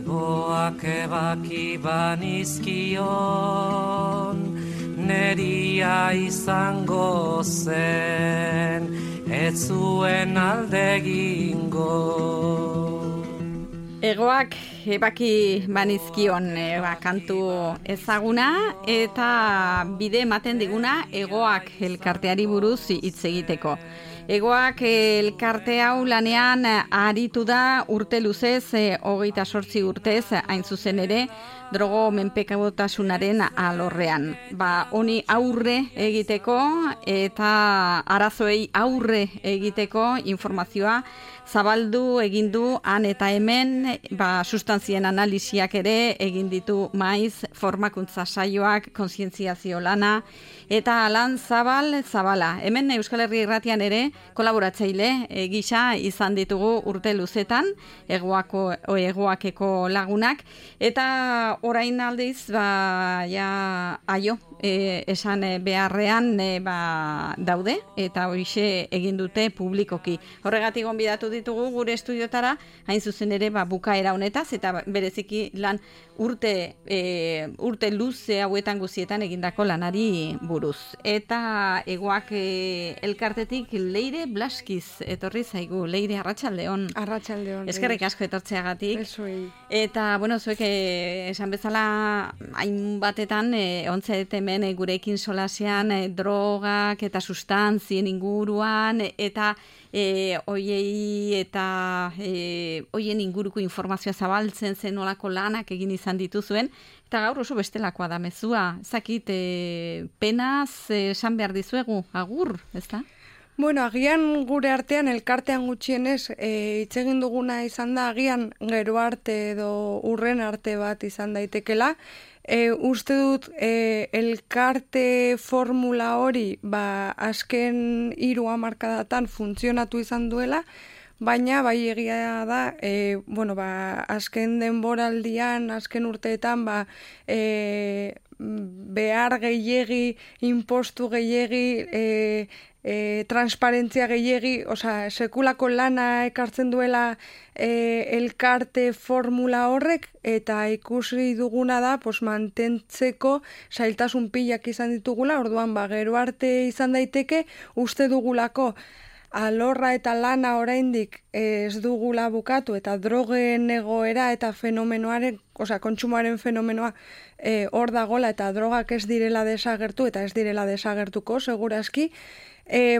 Egoak ebaki banizkion, neria izango zen, ez zuen aldegingo. Egoak ebaki banizkion kantu ezaguna eta bide ematen diguna Egoak elkarteari buruz hitz egiteko. Egoak elkarte hau lanean aritu da urte luzez, 28 urtez, hain zuzen ere, drogo menpekotasunaren alorrean. Honi aurre egiteko eta arazoei aurre egiteko informazioa zabaldu egin du han eta hemen, sustantzien analisiak ere egin ditu maiz, formakuntza saioak, kontzientziazio lana, eta lan zabala. Hemen Euskal Herria Irratian ere kolaboratzaile gisa izan ditugu urte luzetan, egoakeko lagunak, eta orain aldiz, esan beharrean daude, eta horixe egin dute publikoki. Horregatik gonbidatu ditugu gure estudiotara, hain zuzen ere bukaera honetaz, eta bereziki lan urte luze hauetan guzietan egindako lanari buruz. Eta Egoak elkartetik Leire Blaskiz etorri zaigu. Leire, arratsaldeon. Arratsaldeon. Eskerrik asko etortzeagatik. Eta, zuek esan bezala hainbatetan ontzete hemen gurekin solasean drogak eta sustantzien inguruan eta hoien inguruko informazioa zabaltzen zen nolako lanak egin izan dituzuen, eta gaur oso bestelakoa da mezua. Zakit, penaz esan behar dizuegu, agur, ez da? Agian gure artean, elkartean gutxienez, hitz egin duguna izan da, agian gero arte edo urren arte bat izan daitekela. Uste dut elkarte formula hori azken 3 hamarkadatan funtzionatu izan duela, baina bai egia da, azken denboraldian, azken urteetan, behar gehiegi, impostu gehiegi, transparentzia gehiegi, sekulako lana ekartzen duela elkarte formula horrek, eta ikusi duguna da mantentzeko zailtasun pilak izan ditugula, orduan gero arte izan daiteke, uste dugulako alorra eta lana oraindik ez dugula bukatu, eta drogen egoera eta fenomenoaren, kontsumoaren fenomenoa hor dagola, eta drogak ez direla desagertu, eta ez direla desagertuko, segurazki,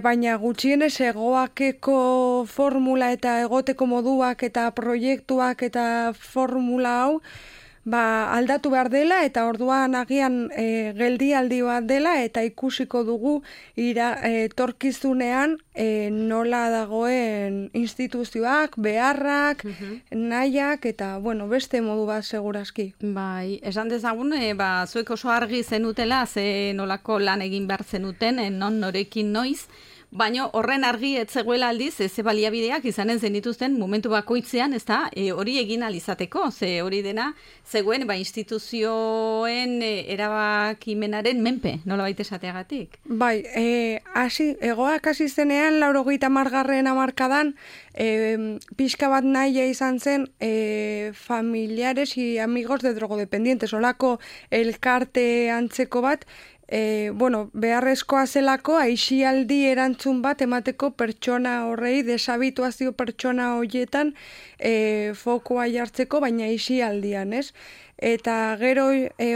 baina gutxienez Egoakeko formula eta egoteko moduak eta proiektuak eta formula hau aldatu behar dela, eta orduan agian geldialdi bat dela, eta ikusiko dugu etorkizunean nola dagoen instituzioak, beharrak, nahiak, eta beste modu bat segurazki. Esan dezagun, zuek oso argi zenutela, ze nolako lan egin behar zenuten, non norekin noiz, baina horren argi etzegoela aldiz, ze baliabideak izanen zenituzten momentu bakoitzean, ez da, hori egin alizateko, ze hori dena zegoen instituzioen erabakimenaren menpe, nola baita esateagatik. Egoak hasi zenean, 80. hamarkadan, pixka bat nahia izan zen familiares y amigos de drogodependientes, olako elkarte antzeko bat, beharrezkoa zelako aisialdi erantzun bat emateko pertsona horrei, desabituazio pertsona horietan fokoa jartzeko, baina aisialdian, ez? Eta gero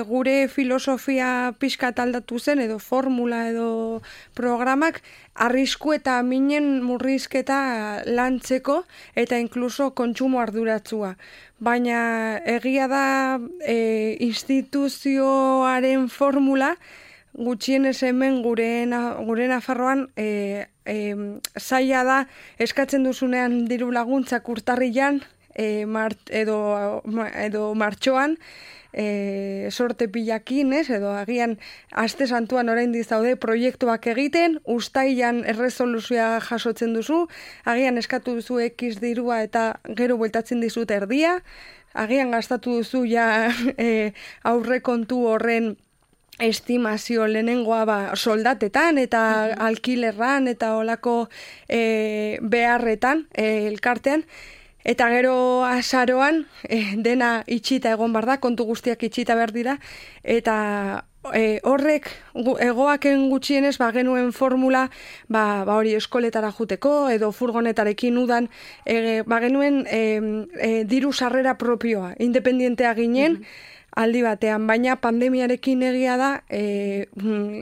gure filosofia pixka aldatu zen, edo formula edo programak, arrisku eta minen murrizketa lantzeko, eta inkluso kontsumo arduratzua. Baina egia da instituzioaren formula, gutxienez hemen gure Nafarroan zaila da eskatzen duzunean diru laguntzak urtarrilan edo martxoan sorte pilakin, edo agian aste santuan oraindik daude proiektuak egiten, uztailan erresoluzioa jasotzen duzu, agian eskatu duzu X dirua eta gero bueltatzen dizut erdia, agian gastatu duzu aurrekontu horren estimazio lehenengoa soldatetan eta alkilerran eta olako beharretan elkartean, Eta gero azaroan, dena itxita egon bar da, kontu guztiak itxita behar dira, eta horrek egoaken gutxienez genuen formula hori eskoletara juteko edo furgonetarekin udan genuen diru sarrera propioa, independientea ginen aldi batean, baina pandemiarekin egia da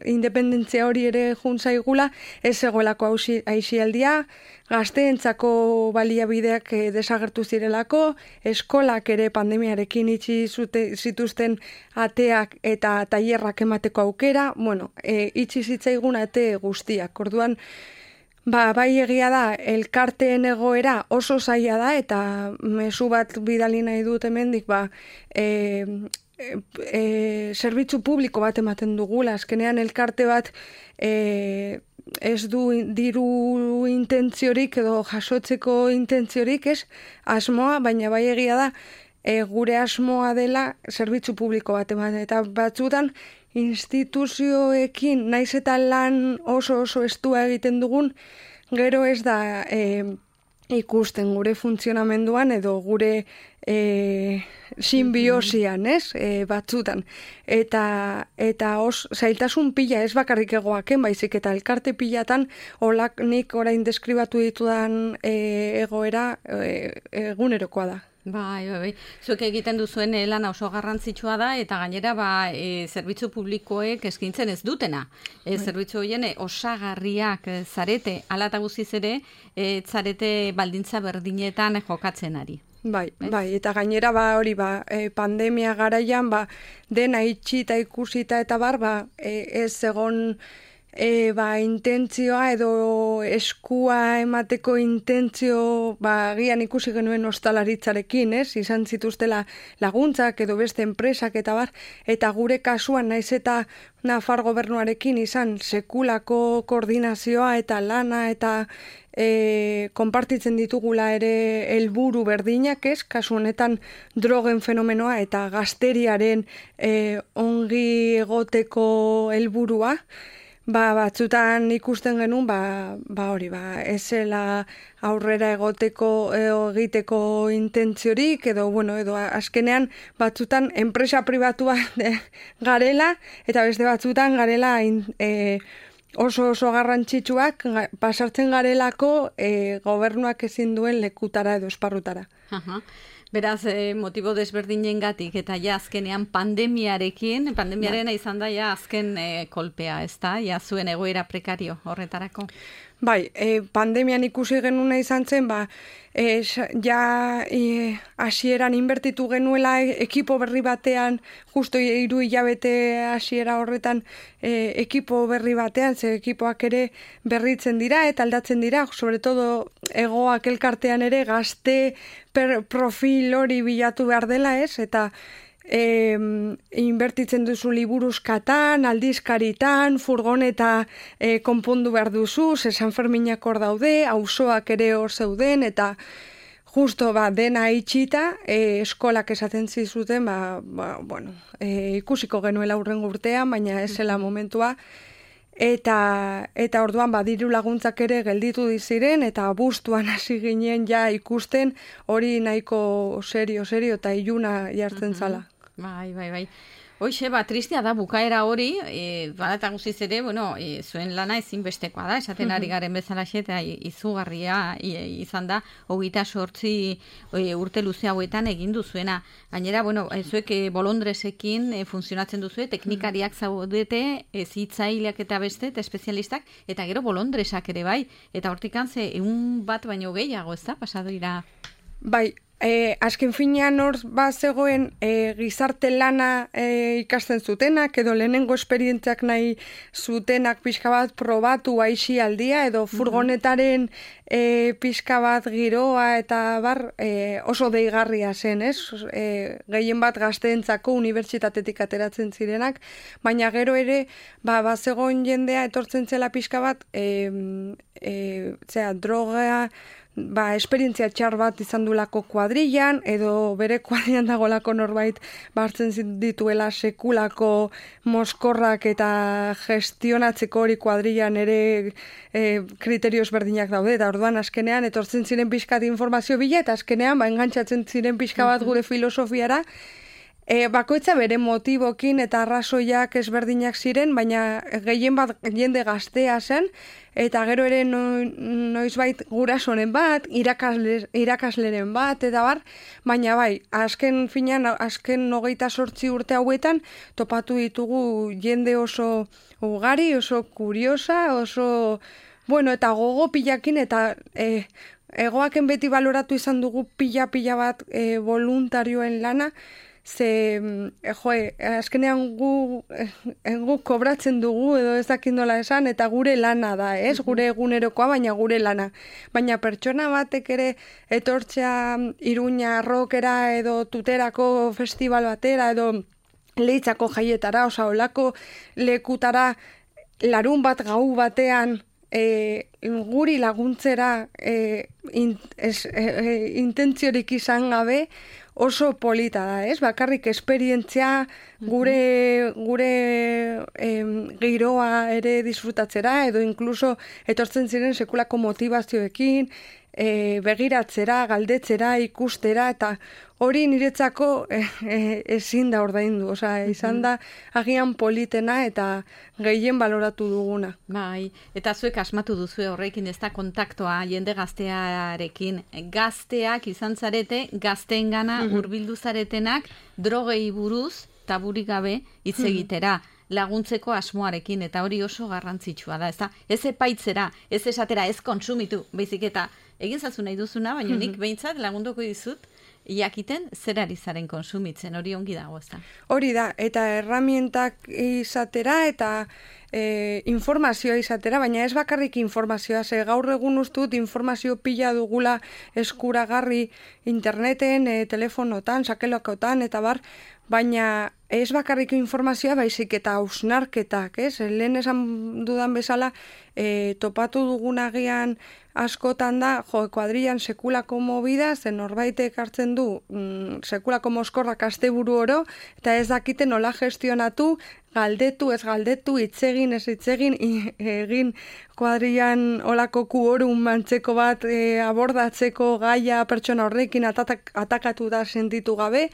independentzia hori ere juntzaigula, ez egoelako aisialdia, gazteentzako baliabideak desagertu zirelako, eskolak ere pandemiarekin itxi zituzten ateak eta tailerrak emateko aukera, itxi zitzaigun ate guztiak. Orduan, bai egia da, elkarteen egoera oso zaila da, eta mezu bat bidali nahi dut hemendik, zerbitzu publiko bat ematen dugula, azkenean elkarte bat ez du diru intentziorik edo jasotzeko intentziorik, ez asmoa, baina bai egia da gure asmoa dela zerbitzu publiko bat ematen, eta batzutan instituzioekin naiz eta lan oso estua egiten dugun, gero ez da ikusten gure funtzionamenduan edo gure sinbiosian, ez? Batzutan. Eta zailtasun pila ez bakarrik egoaken, baizik eta elkarte pilatan olak nik orain deskribatu ditudan egoera egunerokoa da. Bai. Zuek egiten duzuen lana oso garrantzitsua da, eta gainera zerbitzu publikoek eskaintzen ez dutena. Zerbitzu horien osagarriak zarete, hala eta guztiz ere, zarete baldintza berdinetan jokatzen ari. Bai, eta gainera pandemia garaian dena itxita ikusita eta ez egon intentzioa edo eskua emateko intentzio gian ikusi genuen ostalaritzarekin, ez? Izan zituztela laguntzak edo beste enpresak eta gure kasuan naiz eta Nafar gobernuarekin izan sekulako koordinazioa eta lana eta konpartitzen ditugula ere helburu berdinak, ez? Kasu honetan drogen fenomenoa eta gazteriaren ongi egoteko helburua. Batzutan ikusten genuen, ezela aurrera egiteko intentziorik, edo azkenean batzutan enpresa pribatua garela, eta beste batzutan garela oso garrantzitsuak pasartzen garelako gobernuak ezin duen lekutara edo esparrutara. Beraz, motibo desberdinengatik eta azkenean pandemiaren izan da azken kolpea, ez da? Zuen egoera prekario horretarako? Bai, pandemian ikusi genuna izan zen, hasieran inbertitu genuela ekipo berri batean, justo 3 hilabete hasiera horretan ekipo berri batean, ze ekipoak ere berritzen dira eta aldatzen dira, sobre todo egoak elkartean ere gazte profil hori bilatu behar dela, ez? Eta inbertitzen duzu liburuzkatan, aldizkaritan, furgoneta konpondu behar duzu, San Ferminak hor daude, auzoak ere hor zeuden, eta justo dena itxita, eskolak esaten zizuten, ikusiko genuela hurrengo urtean, baina ez zela momentua, eta orduan diru laguntzak ere gelditu diziren, eta abuztuan hasi ginen ikusten hori nahiko serio eta iluna jartzen zala. Bai. Hoxe, tristea da bukaera hori, eta guztiz ere, zuen lana ezinbestekoa da, esaten ari garen bezalaxe, eta izugarria izan da, 28 urte luze hauetan egin duzuena. Gainera, zuek bolondresekin funtzionatzen duzue, teknikariak zaudete, zitzaileak eta beste, eta espezialistak, eta gero bolondresak ere bai, eta hortikan ze 1 bat baino gehiago, ez da, pasado ira? Bai, azken finean hor zegoen gizarte lana ikasten zutenak, edo lehenengo esperientziak nahi zutenak pixka bat probatu aisialdia, edo furgonetaren pixka bat giroa eta oso deigarria zen, ez? Gehien bat gazteentzako unibertsitatetik ateratzen zirenak, baina gero ere bazegoen jendea etortzen zela pixka bat droga esperientzia txar bat izan dulako kuadrillan, edo bere kuadrillan dagolako norbait hartzen dituela sekulako moskorrak eta gestionatzeko hori kuadrillan ere kriterio ezberdinak daude, eta orduan azkenean etortzen ziren pixkat informazio bila, eta azkenean engantzatzen ziren pixka bat gure filosofiara, bakoitza bere motibokin eta arrazoiak ezberdinak ziren, baina gehien bat jende gaztea zen, eta gero ere noizbait gurasoren bat, irakasleren bat, eta bar, baina bai, azken 28 urte hauetan topatu ditugu jende oso ugari, oso kuriosa, oso, bueno, eta gogo pilakin, eta egoaken beti baloratu izan dugu pila bat voluntarioen lana, ze, azkenean gu kobratzen dugu, edo ez dakit nola esan, eta gure lana da, ez? Gure egunerokoa, baina gure lana. Baina pertsona batek ere etortzea Iruña rockera, edo Tuterako festival batera, edo Leitzako jaietara, olako lekutara, larun bat gau batean, guri laguntzera intentziorik izan gabe, oso polita da, ez? Bakarrik esperientzia gure giroa ere disfrutatzera, edo inkluso etortzen ziren sekulako motivazioekin, begiratzera, galdetzera, ikustera, eta hori niretzako ezin da ordaindu, izan da agian politena eta gehien baloratu duguna. Bai, eta zuek asmatu duzu horrekin ez da kontaktoa jende gaztearekin. Gazteak izan zarete, gazteengana hurbildu zaretenak drogei buruz taburik gabe hitz egitera. Laguntzeko asmoarekin, eta hori oso garrantzitsua da, ezta? Ez epaitzera, ez esatera, ez kontsumitu, baizik eta egin zazu nahi duzuna, baina nik behintzat lagunduko dizut, jakiten zer ari zaren konsumitzen, hori ongi dago, ezta? Hori da, eta herramientak izatera, eta informazioa izatera, baina ez bakarrik informazioa, ze gaur egun ustut informazio pila dugula eskuragarri interneten, telefonotan, sakelokotan, eta bar, baina ez bakarrik informazioa, baizik eta hausnarketak, ez? Lehen esan dudan bezala, topatu dugunagian askotan da, kuadrillan sekulako movida, zen norbaitek hartzen du sekulako moskorrak asteburu oro, eta ez dakite nola gestionatu, galdetu, ez galdetu, hitzegin, ez hitzegin, egin kuadrillan olako kuorum mantzeko bat abordatzeko gaia pertsona horrekin atakatu da sentitu gabe,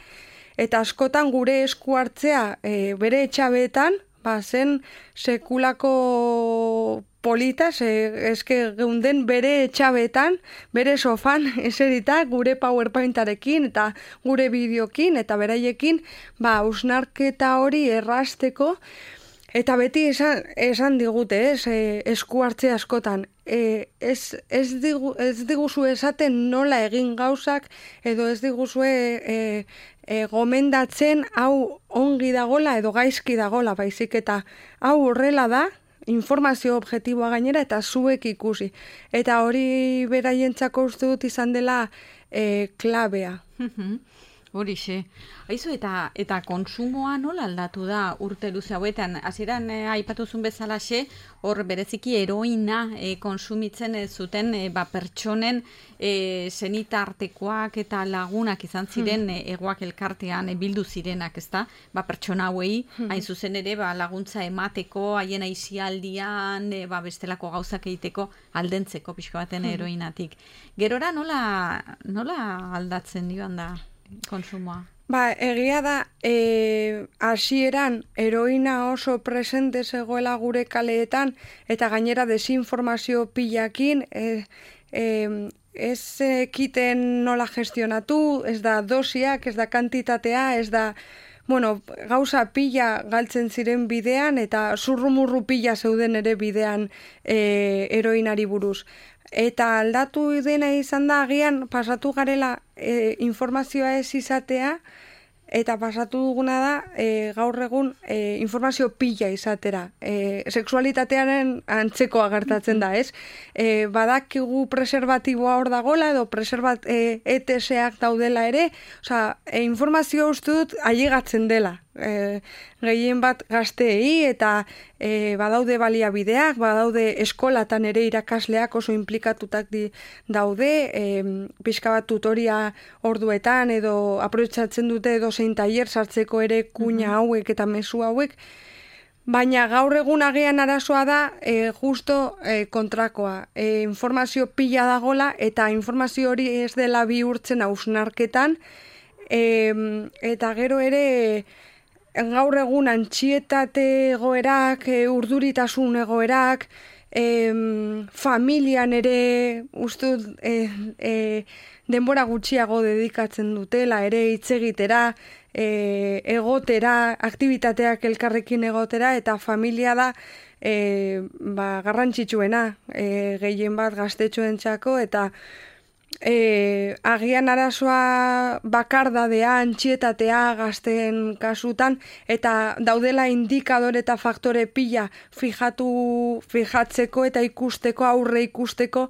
eta askotan gure esku hartzea bere etxabeetan, zen sekulako polita, eske geunden bere etxabeetan, bere sofan eserita, gure PowerPointarekin eta gure bideokin eta beraiekin, hausnarketa hori errazteko, eta beti esan digute, esku hartze askotan, ez diguzu esaten nola egin gauzak, edo ez diguzue gomendatzen hau ongi dagola edo gaizki dagola, baizik eta hau horrela da, informazio objektiboa gainera eta zuek ikusi. Eta hori beraientzako uste dut izan dela klabea. Horixe. Aizu, eta konsumoa nola aldatu da urte luze hauetan? Hasieran aipatuzun bezalaxe, hor bereziki heroina konsumitzen zuten pertsonen senitartekoak eta lagunak izan ziren egoak elkartean bildu zirenak, ezta? Pertsona hauei, hain zuzen ere, laguntza emateko, haien aisialdian, bestelako gauzak egiteko, aldentzeko pixka baten heroinatik. Gerora nola aldatzen joan da konsumoa? Egia da, hasieran heroina oso presente zegoela gure kaleetan, eta gainera desinformazio pilakin, ez ekiten nola gestionatu, ez da dosiak, ez da kantitatea, ez da, gauza pila galtzen ziren bidean, eta zurrumurru pila zeuden ere bidean heroinari buruz. Eta aldatu dena izan da, agian pasatu garela informazioa ez izatea, eta pasatu duguna da gaur egun informazio pila izatera. Sexualitatearen antzekoa gertatzen da, ez? Badakigu preservatiboa hor dagola, edo ETS-ak daudela ere, informazio uste dut ailegatzen dela. gehien bat gazteei, eta badaude baliabideak, badaude eskolatan ere irakasleak oso implikatutak daude, pixka bat tutoria orduetan, edo aprobetxatzen dute edo zein tailer sartzeko ere kuña hauek eta mezu hauek, baina gaur egun agian arazoa da justo kontrakoa. Informazio pila dagola eta informazio hori ez dela bihurtzen hausnarketan, eta gero ere gaur egun antxietate egoerak, urduritasun egoerak, familian ere ustut denbora gutxiago dedikatzen dutela, ere hitz egitera, egotera, aktibitateak elkarrekin egotera, eta familia da garrantzitsuena gehien bat gaztetxoentzako, eta agian arazoa bakardadea, antxietatea gazteen kasutan, eta daudela indikadore eta faktore pila fijatzeko eta ikusteko, aurre ikusteko,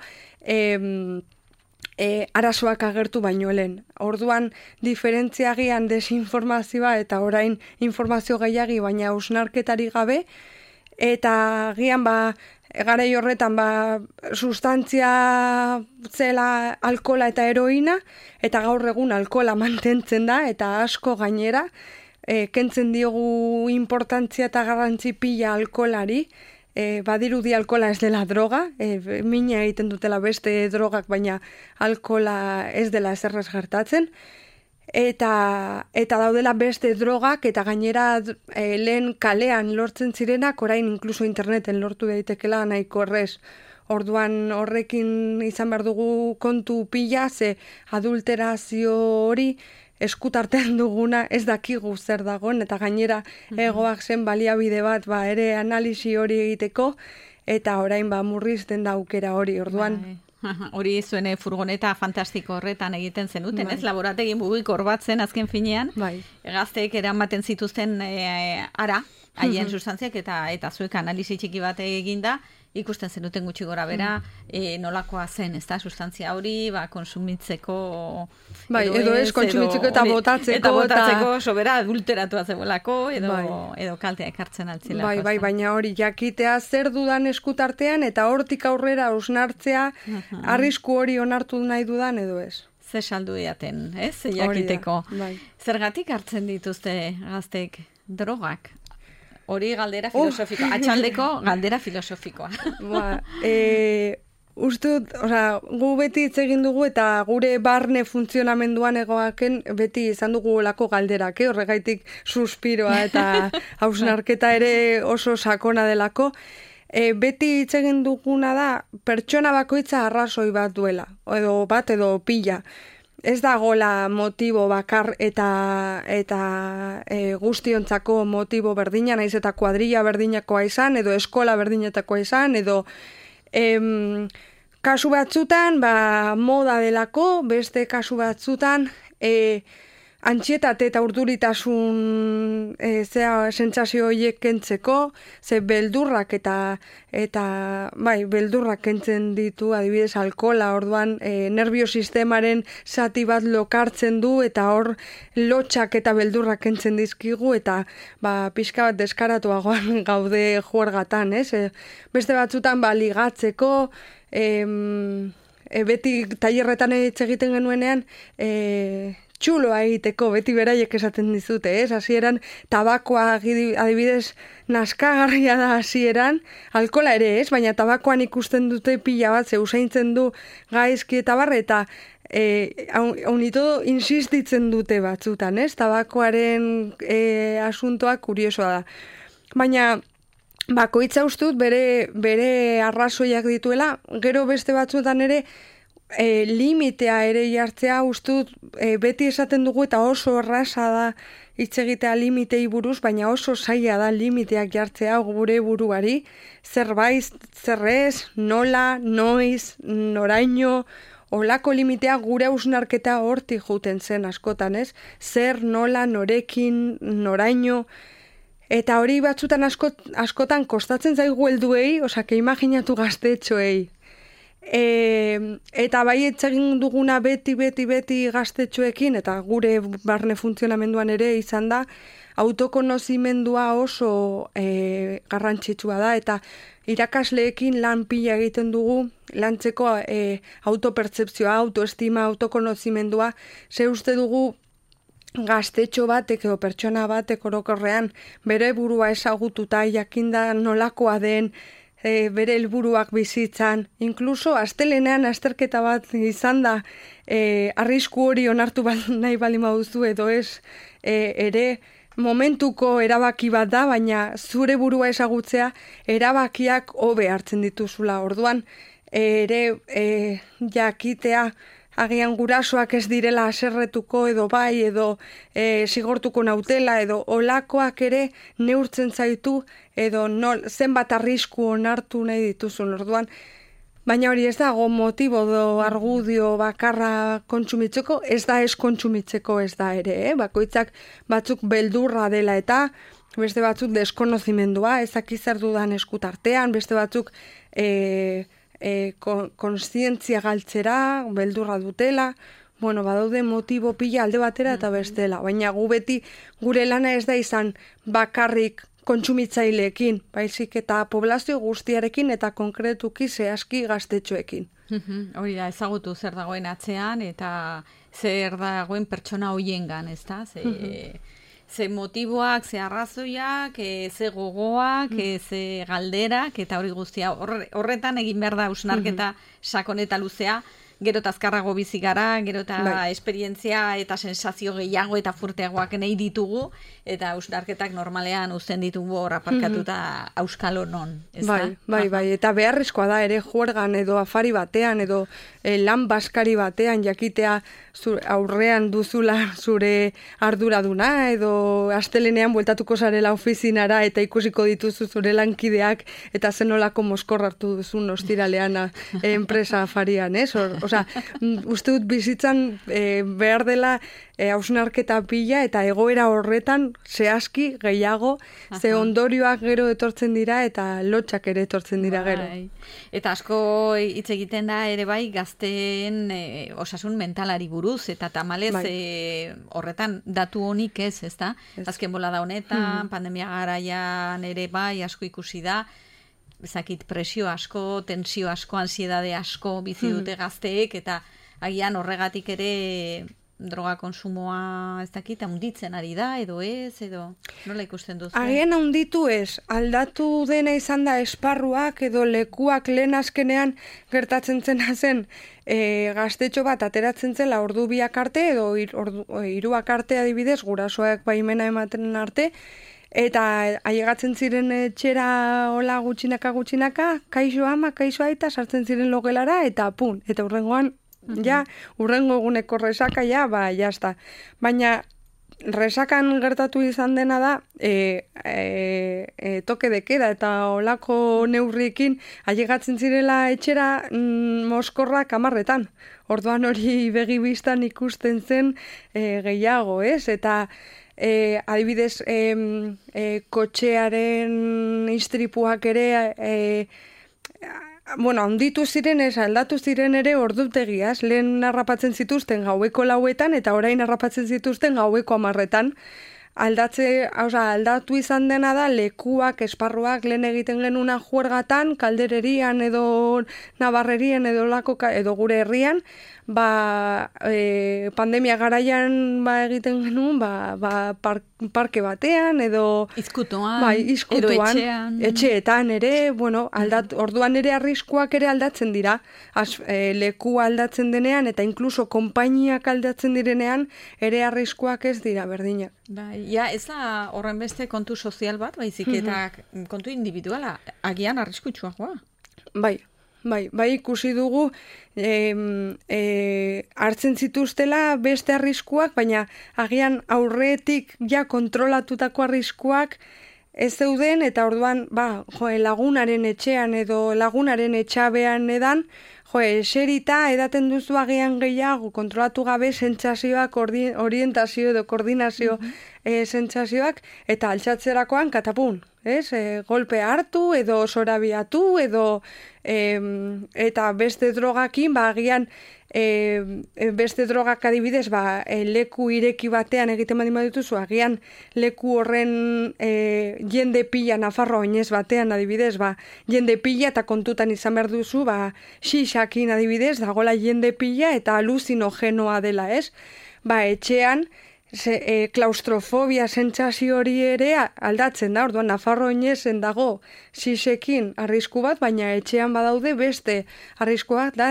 arazoak agertu baino lehen. Orduan, diferentziagian desinformazioa eta orain informazio gehiagi, baina hausnarketari gabe, eta gian garai horretan sustantzia zela alkola eta heroina, eta gaur egun alkola mantentzen da, eta asko gainera, kentzen diogu importantzia eta garrantzi pila alkolari, badirudi alkola ez dela droga, mina egiten dutela beste drogak, baina alkola ez dela ezerrez gertatzen, eta daudela beste drogak, eta gainera lehen kalean lortzen zirenak, orain inkluso interneten lortu daitekela nahiko errez. Orduan horrekin izan behar dugu kontu pila, ze adulterazio hori eskutartean duguna ez dakigu zer dagoen, eta gainera egoak zen baliabide bat ere analisi hori egiteko, eta orain murrizten da aukera hori, orduan. Hori zuen furgoneta fantastiko horretan egiten zenuten, ez? Laborategi mugikor bat zen azken finean, gazteek eramaten zituzten haien sustantziak, eta zuek analizi txiki bat eginda, ikusten zenuten gutxi gora bera, nolakoa zen, ez da, sustantzia hori, konsumitzeko... edo ez, konsumitzeko eta botatzeko. Eta botatzeko, sobera adulteratua zegoelako, edo kaltea ekartzen altzilako. Baina hori, jakitea zer dudan eskutartean, eta hortik aurrera hausnartzea, arrisku hori onartu nahi dudan, edo ez. Ze saldu diaten, ez? Jakiteko. Zergatik hartzen dituzte gaztek drogak? Hori galdera filosofikoa, atxaldeko galdera filosofikoa. Ustut, gu beti hitz egin dugu eta gure barne funtzionamenduan egoaken beti izan dugu olako galderak, horregaitik suspiroa eta hausnarketa ere oso sakona delako. Beti hitz egin duguna da pertsona bakoitza arrazoi bat duela, edo pila. Ez dagoela motibo bakar eta guztiontzako motibo berdina, naiz eta kuadrilla berdinakoa izan, edo eskola berdinetakoa izan, edo kasu batzutan moda delako, beste kasu batzutan antxietate eta urduritasun sentsazio horiek kentzeko, ze beldurrak beldurrak kentzen ditu, adibidez alkola, orduan nerviosistemaren zati bat lokartzen du, eta hor lotxak eta beldurrak kentzen dizkigu, eta pixka bat deskaratuagoan gaude juergatan, ez? Beste batzutan ligatzeko, beti tailerretan hitz egiten genuenean, txuloa egiteko, beti beraiek esaten dizute, ez? Hasieran tabakoa adibidez naskagarria da hasieran, alkola ere ez, baina tabakoan ikusten dute pila bat, ze usaintzen du gaizki eta barre, eta haunito insistitzen dute batzutan, ez? Tabakoaren asuntoa kuriosoa da. Baina bakoitza ustut bere arrazoiak dituela, gero beste batzuetan ere limitea ere jartzea ustut beti esaten dugu, eta oso erraza da hitz egitea limitei buruz, baina oso zaila da limiteak jartzea gure buruari, zerbait, zerrez, nola, noiz, noraino, olako limitea gure hausnarketa hortik juten zen askotan, ez? Zer, nola, norekin, noraino, eta hori batzutan askotan kostatzen zaigu helduei, imaginatu gaztetxoei. Eta bai egin duguna beti gaztetxoekin, eta gure barne funtzionamenduan ere izan da, autokonozimendua oso garrantzitsua da, eta irakasleekin lan pila egiten dugu, lantzeko autopertzepzioa, autoestima, autokonozimendua, ze uste dugu gaztetxo batek edo pertsona batek orokorrean bere burua ezagututa jakinda nolakoa den, bere helburuak bizitzan, inkluso astelenean azterketa bat izan da, arrisku hori onartu nahi bali baduzu edo ez, ere momentuko erabaki bat da, baina zure burua ezagutzea erabakiak hobe hartzen dituzula. Orduan, ere jakitea agian gurasoak ez direla haserretuko edo bai, edo zigortuko nautela, edo olakoak ere neurtzen zaitu, edo zenbat arrisku onartu nahi dituzun. Orduan, baina hori ez dago motibo edo argudio bakarra kontsumitzeko, ez da ez kontsumitzeko ez da ere, bakoitzak batzuk beldurra dela eta beste batzuk deskonozimendua, ezak zer dudan eskutartean, beste batzuk konstientzia galtzera, beldurra dutela, badaude motibo pila alde batera eta bestela, baina gu beti gure lana ez da izan bakarrik kontsumitzaileekin, baizik eta poblazio guztiarekin eta konkretuki zehazki gaztetxoekin. Hori da, ezagutu zer dagoen atzean eta zer dagoen pertsona hoiengan, ez da? Ze motiboak, ze arrazoiak, ze gogoak, ze galderak, eta hori guztia horretan egin behar da hausnarketa sakon eta luzea, gero eta azkarrago bizi gara, gero eta esperientzia eta sensazio gehiago eta furteagoak nahi ditugu, eta hausnarketak normalean uzten ditugu hor aparkatuta auskalo non. Bai, eta beharrezkoa da ere juergan edo afari batean edo lan baskari batean jakitea aurrean duzula zure arduraduna edo astelenean bueltatuko zarela ofizinara eta ikusiko dituzu zure lankideak eta zenolako moskor hartu duzun ostiralean enpresa afarian, ez? Osea, uste dut bizitzan behar dela hausnarketa pila eta egoera horretan zehazki gehiago, ze ondorioak gero etortzen dira eta lotxak ere etortzen dira gero. Eta asko hitz egiten da ere bai gazteen osasun mentalari buruz, eta tamalez horretan datu honik ez da? Azken bolada honetan, pandemia garaian ere bai asko ikusi da, ezakit presio asko, tensio asko, ansiedade asko bizi dute gazteek, eta agian horregatik ere droga konsumoa ez dakit, handitzen ari da, edo ez, edo nola ikusten duzu? Agian handitu ez, aldatu dena izan da esparruak edo lekuak lehen azkenean gertatzen zena zen gaztetxo bat ateratzen zela ordu biak arte edo hiruak arte adibidez, gurasoak baimena ematen arte, eta ailegatzen ziren etxera hola gutxinaka, kaixo ama, kaixo aita, sartzen ziren logelara, eta pun, eta hurrengoan hurrengo eguneko resaka, jazta. Baina resakan gertatu izan dena da, toke de queda eta olako neurriekin ailegatzen zirela etxera moskorrak 10. Orduan hori begibistan ikusten zen gehiago, ez? Eta adibidez, kotxearen istripuak ere handitu ziren ez, aldatu ziren ere ordutegiaz, lehen harrapatzen zituzten gaueko 4 eta orain harrapatzen zituzten gaueko 10. Aldatu izan dena da lekuak, esparruak lehen egiten genuna juergatan, kaldererian edo nabarrerien edo gure herrian, pandemia garaian egiten genuen parke batean edo izkutuan, edo etxeetan ere, orduan ere arriskuak ere aldatzen dira, leku aldatzen denean eta inkluso konpainiak aldatzen direnean ere arriskuak ez dira berdinak. Ez da horren beste kontu sozial bat, baizik eta kontu individuala, agian arriskutsuagoa. Bai, ikusi dugu hartzen zituztela beste arriskuak, baina agian aurretik kontrolatutako arriskuak ez zeuden, eta orduan lagunaren etxean edo lagunaren etxabean edan, eserita edaten duzu agian gehiago kontrolatu gabe sentsazioak, orientazio edo koordinazio sentsazioak, eta altxatzerakoan katapun. ez? Golpe hartu edo zorabiatu edo eta beste drogakin, agian beste drogak adibidez, leku ireki batean egiten badituzu, agian leku horren jende pila, Nafarroa oinez batean adibidez, jende pila eta kontutan izan behar duzu, xixakin adibidez, dagola jende pila eta aluzinogenoa dela, ez? Etxean, klaustrofobia sentsazio hori ere aldatzen da, orduan Nafarro oinezen dago xixekin arrisku bat, baina etxean badaude beste arrisku bat da,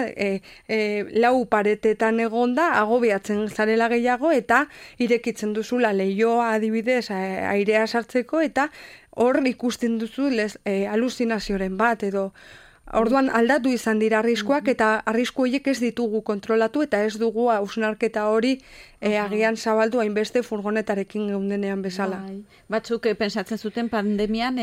lau paretetan egonda, agobiatzen zarela gehiago eta irekitzen duzula leihoa adibidez airea sartzeko eta hor ikusten duzu aluzinazioren bat edo. Orduan aldatu izan dira arriskuak eta arrisku horiek ez ditugu kontrolatu eta ez dugu hausnarketa hori agian zabaldu hainbeste furgonetarekin geundenean bezala. Batzuk pensatzen zuten pandemian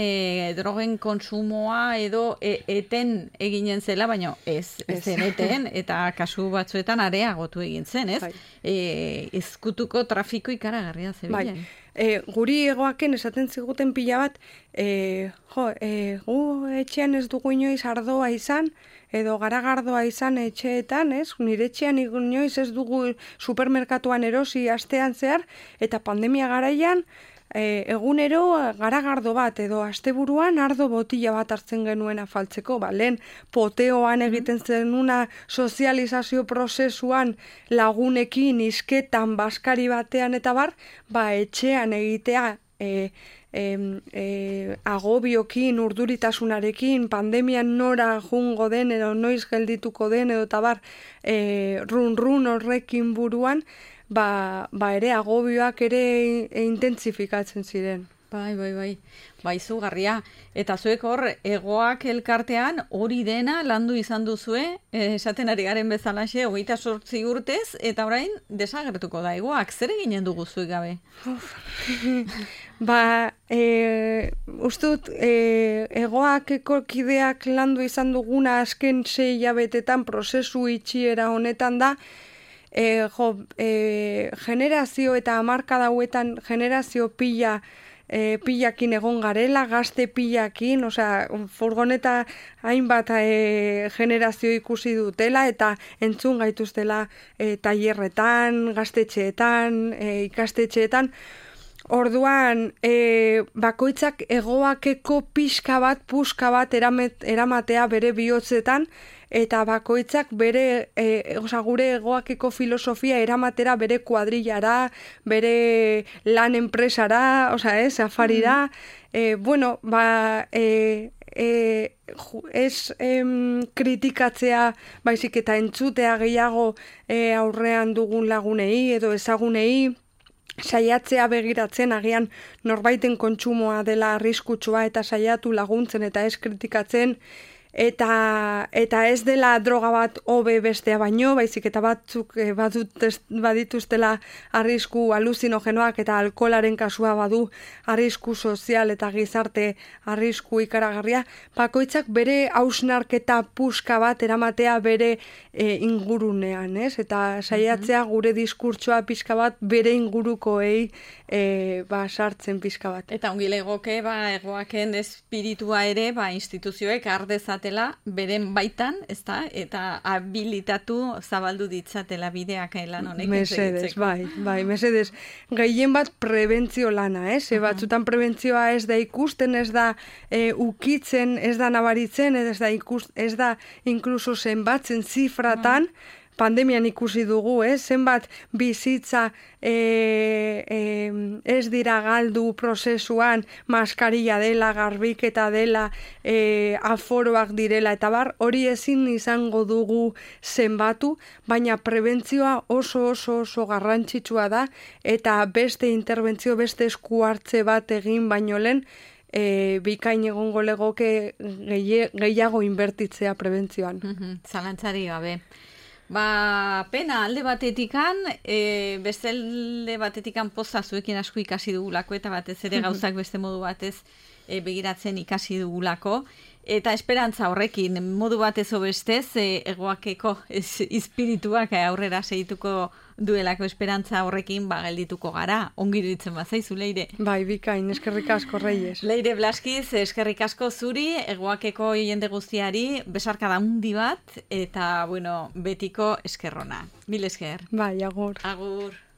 drogen konsumoa edo eten eginen zela, baina ez zen eten eta kasu batzuetan areagotu egin zen, ez? Ezkutuko trafiko ikaragarria zebilen. Guri egoaken esaten ziguten pila bat, gu etxean ez dugu inoiz ardoa izan, edo garagardoa izan etxeetan, ez? Nire etxean inoiz ez dugu supermerkatuan erosi astean zehar, eta pandemia garaian, egunero garagardo bat edo asteburuan ardo botila bat hartzen genuen afaltzeko, lehen poteoan egiten zenuna sozializazio prozesuan lagunekin isketan baskari batean eta etxean egitea agobiokin, urduritasunarekin, pandemian nora jungo den edo noiz geldituko den edo eta run horrekin buruan, ere agobioak ere intentsifikatzen ziren. Bai, izugarria. Eta zuek hor, egoak elkartean hori dena landu izan duzue, esaten ari garen bezalaxe, 28 urtez, eta orain desagertuko da egoak. Zer eginen dugu zuek gabe? Ustut, egoakeko kideak landu izan duguna azken 6 hilabetetan prozesu itxiera honetan da, generazio eta hamarkada hauetan generazio pilakin egon garela, gazte pilakin, furgoneta hainbat generazio ikusi dutela eta entzun gaituztela tailerretan, gaztetxeetan, ikastetxeetan. Orduan, bakoitzak egoakeko puska bat eramatea bere bihotzetan, eta bakoitzak bere, gure egoakeko filosofia eramatera bere kuadrillara, bere lan enpresara, afarira. Ez kritikatzea, baizik eta entzutea gehiago aurrean dugun lagunei edo ezagunei, saiatzea begiratzen agian norbaiten kontsumoa dela arriskutsua eta saiatu laguntzen eta ez kritikatzen, eta ez dela droga bat hobe bestea baino, baizik eta batzuk badituztela arrisku aluzinogenoak eta alkoholaren kasua badu arrisku sozial eta gizarte arrisku ikaragarria, bakoitzak bere hausnarketa puska bat eramatea bere ingurunean, ez? Eta saiatzea gure diskurtsoa pixka bat bere ingurukoei sartzen pixka bat. Eta ongi legoke, egoaken espiritua ere, instituzioek ardezatela beren baitan, ezta? Eta habilitatu zabaldu ditzatela bideak lan honek. Mesedez, mesedez. Gehien bat prebentzio lana, ez? Batzutan prebentzioa ez da ikusten, ez da ukitzen, ez da nabaritzen, ez da inkluso zenbatzen zifratan, pandemian ikusi dugu, zenbat bizitza ez dira galdu prozesuan, maskarilla dela, garbiketa dela, aforoak direla, eta hori ezin izango dugu zenbatu, baina prebentzioa oso garrantzitsua da, eta beste interbentzio, beste esku hartze bat egin baino lehen, bikain egongo legoke gehiago inbertitzea prebentzioan. Zalantzari gabe. Pena alde batetikan, beste alde batetikan poza zuekin asko ikasi dugulako, eta batez ere gauzak beste modu batez begiratzen ikasi dugulako, eta esperantza horrekin modu batez obestez egoakeko espirituak aurrera segituko duelako esperantza horrekin geldituko gara. Ongi iruditzen bazaizu, Leire. Bai, bikain, eskerrik asko, Reyes. Leire Blaskiz, eskerrik asko zuri, Egoakeko jende guztiari, besarkada handi bat, eta, bueno, betiko eskerrona. Mil esker. Bai, agur. Agur.